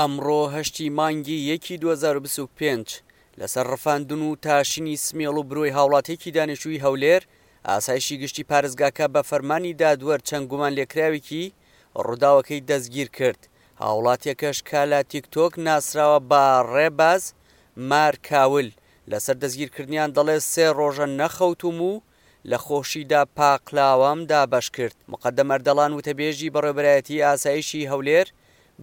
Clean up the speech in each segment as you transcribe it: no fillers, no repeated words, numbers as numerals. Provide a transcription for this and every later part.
ئەمڕۆ هەشتی مانگی یەکی 2025 لەسەر ڕفاندن و تاشینی سمێڵ و برۆی هاوڵاتیەکی دانیشتووی هەولێر، ئاسایشی گشتی پارێزگاکە بە فەرمانی دادوەر چەند گومانلێکراوێکی ڕووداوەکەی دەستگیرکرد، هاوڵاتیەکەش کە لە تیکتۆک ناسراوە بە ڕێباز مار کاول، لەسەر دەستگیرکردنیان دەڵێت سێ ڕۆژە نەخەوتووم و لە خۆشیدا پاقلاوەم دابەشکرد. موقەدەم ئەردەڵان وتەبێژی بەڕێوەبەرایەتیی ئاسایشی هەولێر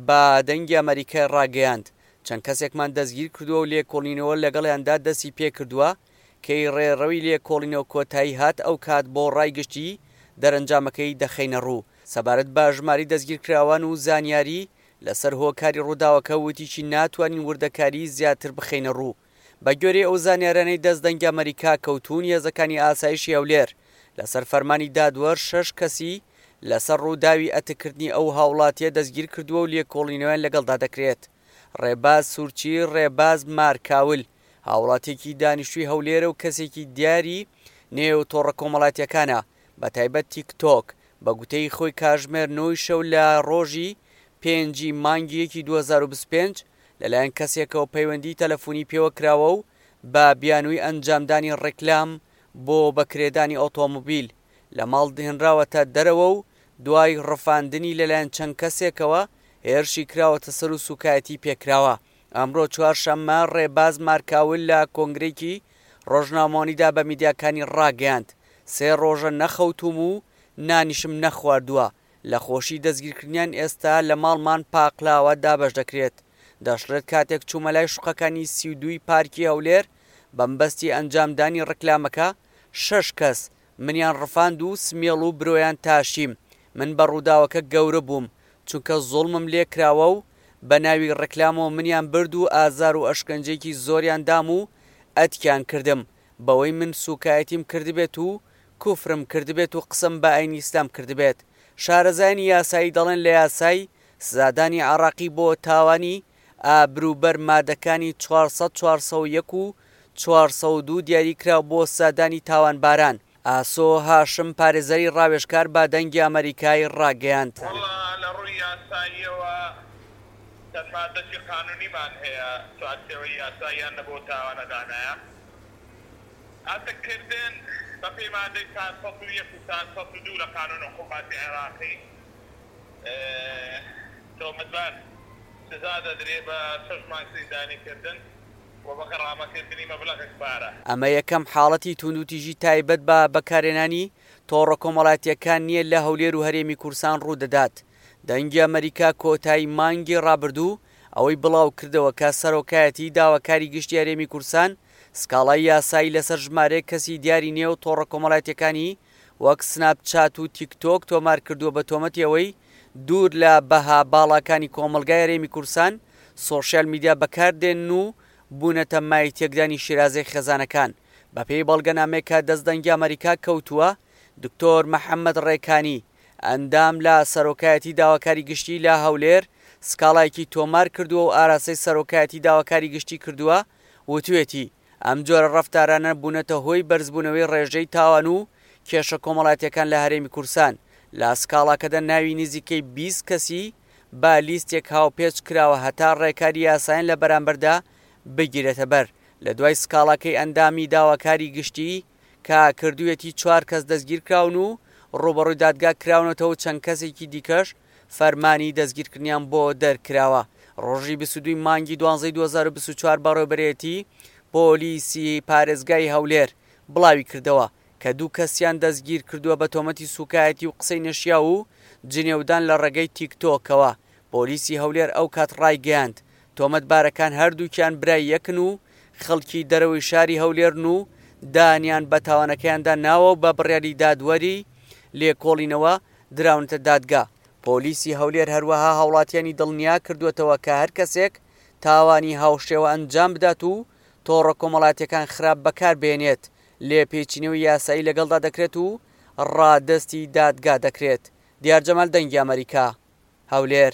بە دەنگی ئەمەریکای ڕاگەیاند، چەند کەسێکمان دەستگیرکردووە و لێکۆڵینەوە لەگەڵیاندا دەستی پێکردووە، کەی ڕێڕەوی لێکۆڵینەوە کۆتایی هات ئەوکات بۆ ڕای گشتی دەرەنجامەکەی دەخەینەڕوو. سەبارەت بە ژمارەی دەستگیرکراوان و زانیاری لەسەر هۆکاری ڕووداوەکە وتیشی ناتوانین وردەکاریی زیاتر بخەینەڕوو. بەگوێرەی ئەو زانیارانەی دەست دەنگی ئەمەریکا کەوتوون، هێزەکانی ئاسایشی هەولێر لەسەر فەرمانی دادوەر شەش کەسی لەسەر ڕووداوی ئەتککردنی ئەو هاوڵاتییە دەستگیرکردووە و لێکۆڵینەوەیان لەگەڵدا دەکرێت. ڕێباز سورچی ڕێباز مارکاول، هاوڵاتییەکی دانیشتووی هەولێرە و کەسێکی دیاری نێو تۆڕە کۆمەڵاتییەکانە، بەتایبەت تیکتۆک، بە گوتەی خۆی کاژمێر نۆی شەو لە ڕۆژی پێنجی مانگی یەکی 2025 لەلایەن کەسێکەوە پەیوەندیی تەلەفونی پێوە کراوە و بە بیانووی ئەنجامدانی ڕیکلام بۆ بەکرێدانی ئۆتۆمبیل لە ماڵ هێنراوەتە دەرەوە و دوای ڕفاندنی لەلایەن چەند کەسێکەوە هێرشی کراوەتە سەر و سووکایەتی پێکراوە. ئەمڕۆ چوارشەممە ڕێباز مارکاول لە کۆنگرەیەکی ڕۆژنامەوانیدا بە میدیاکانی ڕاگەیاند، سێ ڕۆژە نەخەوتووم و نانیشم نەخواردووە، لە خۆشی دەستگیرکردنیان ئێستا لە ماڵمان پاقلاوە دابەش دەکرێت. دەشڵێت کاتێک چوومە لای شوقەکانی 32 ی پارکی هەولێر بەمبەستی ئەنجامدانی ڕیکلامەکە، شەش کەس منیان ڕفاند و سمێڵ و برۆیان تاشیم، من بە ڕووداوەکە گەورە بووم، چونکە زوڵمم لێکراوە و بە ناوی ڕیکلامەوە منیان برد و ئازار و ئەشکەنجەیەکی زۆریان دام و ئەتکیان کردم بەوەی من سوکایەتیم کردبێت و کوفرم کردبێت و قسەم بە ئاینی ئیسلام کردبێت. شارەزایانی یاسایی دەڵێن لە یاسای سزادانی عێڕاقی بۆ تاوانی ئابروبەر مادەکانی 400، 401 و 402 دیاری کراوە بۆ سزادانی تاوانباران. ئاسۆ هاشم پارێزەری ڕاوێژکار بە دەنگی ئەمەریکای ڕاگەیاند. وەڵا لە ڕووی یاساییەوە چەند مادەکی قانونیمان هەیە چوارچێوەی یاساییان لە بۆ تاوانە دانایە. ئەتک کردن بە پێی مادەی 401 و 402 لە قانون عقوباتی عێراقی تۆمەتبار سزا دەدرێ بە شەش مانگ زیندانی کردن و بە غەرامە کردنی مەبلەغێک پارە. ئەمە یەکەم حاڵەتی توندوتیژی تایبەت بە بەکارهێنانی تۆڕە کۆمەڵایەتییەکان نییە لە هەولێر و هەرێمی کوردستان ڕوودەدات. دەنگی ئەمەریکا کۆتایی مانگی ڕابردوو ئەوەی بڵاوکردەوە کە سەرۆکایەتی داواکاری گشتی هەرێمی کوردستان سکاڵای یاسایی لەسەر ژمارەیەک کەسی دیاری نێو تۆڕە کۆمەڵایەتییەکانی وەک سناپ چات و تیک تۆک تۆمار کردووە بە تۆمەتی ئەوەی دوور لە بەها باڵاکانی کۆمەڵگای هەرێمی کوردستان سۆشیال میدیا بەکار دێنن و بوونەتە مایەی تێکدانی شیرازەی خێزانەکان. بەپێی بەڵگەنامەیەک کە دەست دەنگی ئەمەریکا کەوتووە، دکتۆر محەمەد ڕێکانی، ئەندام لە سەرۆکایەتی داواکاری گشتی لە هەولێر سکاڵایەکی تۆمار کردووە و ئاراستەی سەرۆکایەتی داواکاری گشتی کردووە، وتوێتی، ئەم جۆرە ڕەفتارانە بوونەتە هۆی بەرزبوونەوەی ڕێژەی تاوان و کێشە کۆمەڵایەتییەکان لە هەرێمی کوردستان، لە سکاڵاکەدا ناوی نزیکەی 20 کەسی بە لیستێک هاوپێچ کراوە هەتا ڕێکاری یاسایان لە بەرامبەردا بگیرێتەبەر، لە دوای سکاڵاکەی ئەندامی داواکاری گشتی کە کردوویەتی چوار کەس دەستگیرکراون و ڕووبەڕووی دادگا کراونەتەوە و چەند کەسێکی دیکەش فەرمانی دەستگیرکردنیان بۆ دەرکراوە. ڕۆژی 22 ی مانگی دوانزەی 2024 بەڕێوەبەرێتی پۆلیسی پارێزگای هەولێر بڵاویکردەوە کە دوو کەسیان دەستگیرکردووە بە تۆمەتی سوکایەتی و قسەی نەشیاو و جنێودان لە ڕێگەی تیکتۆکەوە. پۆلیسی هەولێر ئەوکات ڕایگەیاند، تۆمەتبارەکان هەردووکیان برای یەکن و خەڵکی دەرەوەی شاری هەولێرن و دانیان بە تاوانەکەیاندا ناوە و بە بڕیاری دادوەری لێکۆڵینەوە دراونەتە دادگا. پۆلیسی هەولێر هەروەها هاوڵاتیانی دڵنیا کردووەتەوە کە هەر کەسێک تاوانی هاوشێوە ئەنجام بدات و تۆڕە کۆمەڵایەتیەکان خراپ بەکار بهێنێت لێپێچینەوەی یاسایی لەگەڵدا دەکرێت و ڕادەستی دادگا دەکرێت. دیار جەمال دەنگی ئەمەریکا، هەولێر.